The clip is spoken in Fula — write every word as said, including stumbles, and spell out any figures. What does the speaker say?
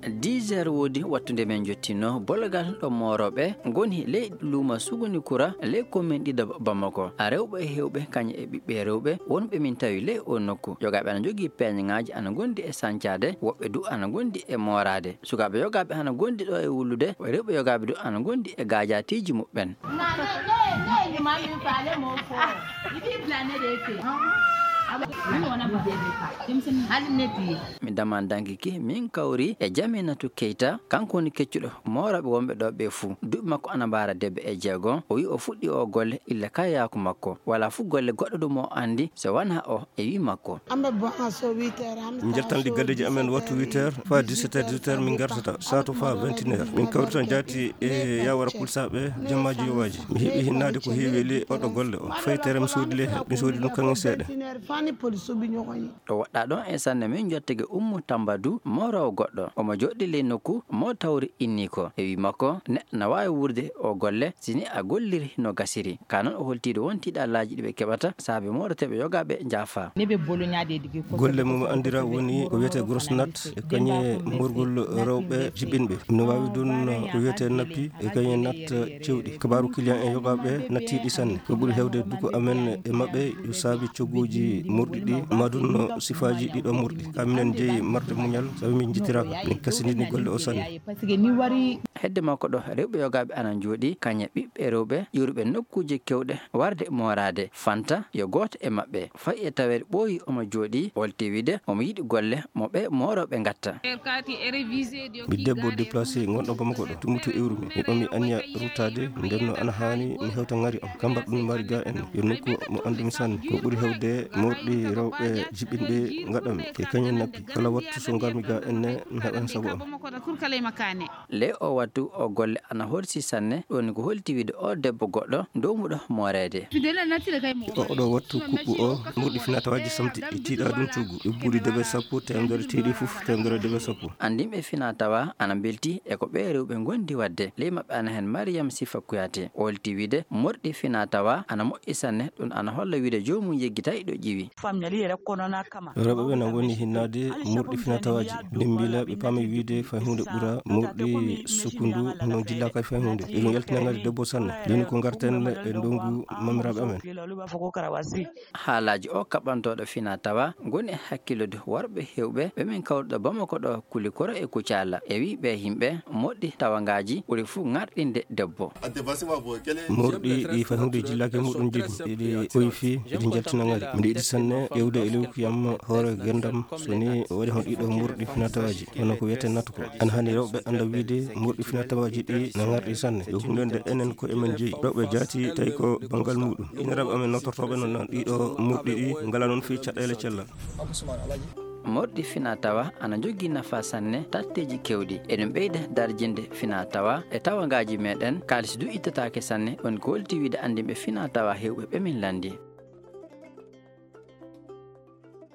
Dix heures woodi wattu nde min njottinoo bologal ɗo moorooɓe ngoni ley luuma Suguni Kura, ley komin ɗiɗo Bamako. A rewɓe e heewɓe, kañum e ɓiɓɓe rewɓe wonɓe min tawi ley oo nokku. Yogaaɓe ana njogii peeñŋaaji ana ngondi e sancaade, woɓɓe du ana ngondi e mooraade. Sukaaɓe yogaaɓe ana ngondi ɗo e wullude, rewɓe yogaaɓe du ana ngondi e gaajaatiiji muɓɓen. Mi daman danki ki, min kawri e Jaminatu Keyta, kanko woni keccuɗo moorooɓe wonɓe ɗo ɓe fuu. Duuɓi makko ana mbaara debbo e jeego. O wi'i o fuɗɗi o golle illa kayaaku makko. Walaa fuu golle goɗɗo ɗum o anndi so wanaa o e wi'i makko. Min njaltan ɗi galleeji amen wattu huit heures faa dix-sept heures, dix-huit heures min ngartata, sato faa vingt et une heures. Min kawrita jaati e yawara pulsaaɓe jammaaji yowaaji. Mi heɓi hinnaade ko heewi e ley oɗo golle o. Faytere mi soodi ley heen, mi soodi ɗum kaŋŋe seeɗa. Ɗo woɗɗaa ɗon e sanne, min njottake Ummu Tamba du, mooroowo goɗɗo. Omo jooɗi ley nokku mo tawri inni ko. E wi'i makko, neɗɗo na waawi wuurde o golle si ni a golliri no gasiri. Ka noon o holti ɗo won tiiɗallaaji ɗi ɓe keɓata saabe mooreteeɓe yogaaɓe njaafa. Golle mum anndira woni ko wiyetee grosse natte e kañe moorgol rewɓe jiɓɓinɓe. No waawi ɗum ko wiyetee nappi e kañe natte cewɗi. Kabaaru client en yogaaɓe nattiiɗi sanne. Ko ɓuri heewde duko amen e maɓɓe yo saabi cogguuji morɗi ɗi, maa ɗum no sifaaji ɗiɗo morɗi. Ka minen jeyi marde muñal, sabi min njittiraaka. Min kasindini golle o sanne. Hedde makko ɗo, rewɓe yogaaɓe ana njooɗi, kañe ɓiɓɓe rewɓe ƴuuruɓe nokkuuje kewɗe warde mooraade. Fanta yo gooto e maɓɓe fay e taweede ɓooyi omo jooɗi, olti wiide omo yiɗi golle mo ɓe moorooɓe ngatta. Mi debbo déplacé ngonɗo Bamako ɗo, tummutu iwrumi. Mi ɓami anniya ruttaade, nden no ana haani mi hewta ŋari am. Ka mbaɗɗun mari ga en, yo nokku mo anndumi sanne. Ko ɓuri heewde morɗi rewɓe jiɓɓinɓe ngaɗami, e kañum nappi. Kala wattu so ngarmi ga en ne, mi heɓan sago am. Ley o wattu o golle ana horsi sanne, ɗum woni ko holti wiide o debbo goɗɗo dowmuɗo mooreede. O oɗo wattu kuɓɓu o, morɗi finatawaaji samti, ɗi tiiɗa ɗum coggu. Ɓe buuɗi debe sappo, teemedere tiiɗi fof, teemedere debe sappo. Anndinɓe finatawa ana mbelti e ko ɓee rewɓe ngondi waɗde. Ley maɓɓe ana heen Mariam Sifa Kouyaté, holti wiide morɗi finatawa ana moƴƴi sanne, ɗum ana holla wiide joomum yeggitay ɗo ƴiwi. Rewɓe ɓe na ngoni hinnaade morɗi finatawaaji. Min mbila ɓe paami wiide fay huunde ɓura morɗi sukkundu no jillaaka fay huunde. Eɗum yaltina ŋari debbo sanne. Jooni ko ngarten e ndongu mamiraaɓe amen. Haalaaji o kaɓantooɗo finatawa ngoni e hakkilude worɓe heewɓe ɓe min kawruɗo Bamako ɗo, Kulikoro e Kucala. E wi'i ɓe yimɓe, moɗɗi tawangaaji ɓuri fuu ŋarɗinde debbo. Morɗi ɗi fay huunde jillaaki muɗum jogi. Eɗi koyfi, eɗi njaltina ŋari. Miɗo yiɗi sanne ƴeewde e lewkuyam hoore ngenndam, so ni waɗi hon ɗiɗo morɗi finatawaaji, hono ko wiyetee natte ko. Ana haani rewɓe annda wiide morɗi finatawaaji ɗi na ŋarɗi sanne. Yo huunde nde enen ko emen jeyi. Rewɓe jaati tawi ko banngal muɗum. Inniraaɓe amen nootortooɓe noon ɗiɗo morɗi ɗi ngalaa noon fii caɗeele cellal. Morɗi finatawa ana njogii nafa sanne tatteeji kewɗi. Eɗum ɓeyda darjinde finatawa e tawangaaji meɗen. Kaalis du ittataake sanne. On ko holti wiide anndinɓe finatawa heewɓe ɓe min lanndi.